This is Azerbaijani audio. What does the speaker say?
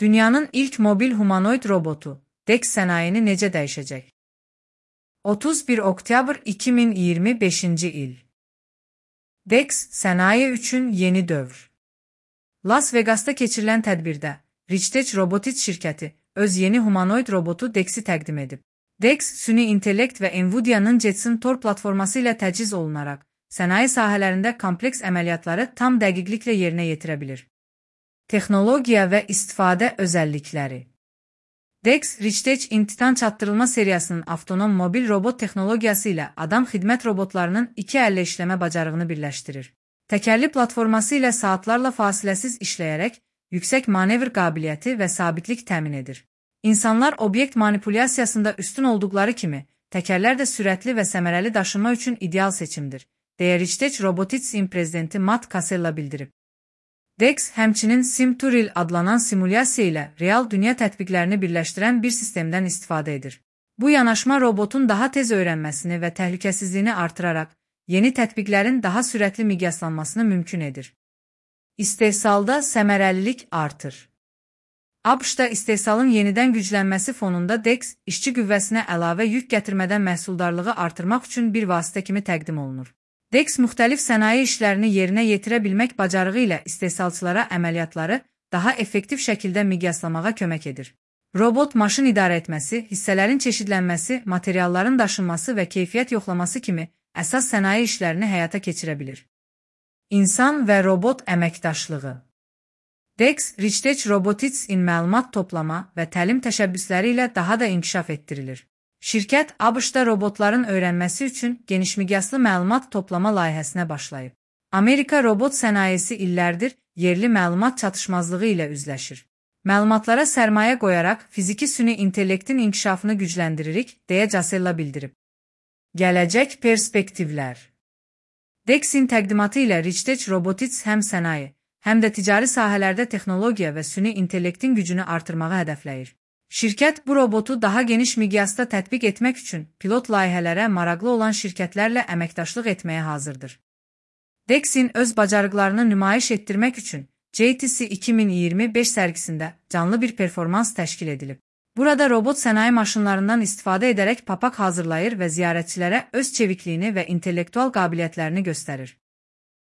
Dünyanın ilk mobil humanoid robotu, DEX sənayeni necə dəyişəcək? 31 oktyabr 2025-ci il. DEX sənaye üçün yeni dövr. Las Vegas'ta keçirilən tədbirdə Richtech Robotics şirkəti öz yeni humanoid robotu DEX'i təqdim edib. DEX, süni intellekt və Nvidia'nın Jetson Tor platforması ilə təchiz olunaraq, sənaye sahələrində kompleks əməliyyatları tam dəqiqliklə yerinə yetirə bilir. Texnologiya və istifadə özəllikləri. DEX, Richtech İmtihan Çatdırılma seriyasının avtonom mobil robot texnologiyası ilə adam xidmət robotlarının iki əllə işləmə bacarığını birləşdirir. Təkərli platforması ilə saatlarla fasiləsiz işləyərək, yüksək manevr qabiliyyəti və sabitlik təmin edir. İnsanlar obyekt manipulyasiyasında üstün olduqları kimi, təkərlər də sürətli və səmərəli daşınma üçün ideal seçimdir, deyə Richtech Robotics'in prezidenti Matt Casella bildirib. DEX, həmçinin SimTuril adlanan simulyasiya ilə real dünya tətbiqlərini birləşdirən bir sistemdən istifadə edir. Bu yanaşma robotun daha tez öyrənməsini və təhlükəsizliyini artıraraq, yeni tətbiqlərin daha sürətli miqyaslanmasını mümkün edir. İstehsalda səmərəlilik artır. ABŞ-da istehsalın yenidən güclənməsi fonunda DEX, işçi qüvvəsinə əlavə yük gətirmədən məhsuldarlığı artırmaq üçün bir vasitə kimi təqdim olunur. DEX, müxtəlif sənaye işlərini yerinə yetirə bilmək bacarığı ilə istehsalçılara əməliyyatları daha effektiv şəkildə miqyaslamağa kömək edir. Robot maşın idarə etməsi, hissələrin çeşidlənməsi, materialların daşınması və keyfiyyət yoxlaması kimi əsas sənaye işlərini həyata keçirə bilir. İnsan və robot əməkdaşlığı. DEX, Richtech Robotics'in məlumat toplama və təlim təşəbbüsləri ilə daha da inkişaf etdirilir. Şirkət ABŞ-da robotların öyrənməsi üçün genişmiqyaslı məlumat toplama layihəsinə başlayıb. Amerika robot sənayesi illərdir yerli məlumat çatışmazlığı ilə üzləşir. Məlumatlara sərmayə qoyaraq fiziki süni intellektin inkişafını gücləndiririk, deyə Casella bildirib. Gələcək perspektivlər. DEX'in təqdimatı ilə Richtech Robotics həm sənaye, həm də ticari sahələrdə texnologiya və süni intellektin gücünü artırmağı hədəfləyir. Şirkət bu robotu daha geniş miqyasda tətbiq etmək üçün pilot layihələrə maraqlı olan şirkətlərlə əməkdaşlıq etməyə hazırdır. DEX'in öz bacarıqlarını nümayiş etdirmək üçün JTC 2025 sərgisində canlı bir performans təşkil edilib. Burada robot sənaye maşınlarından istifadə edərək papaq hazırlayır və ziyarətçilərə öz çevikliyini və intellektual qabiliyyətlərini göstərir.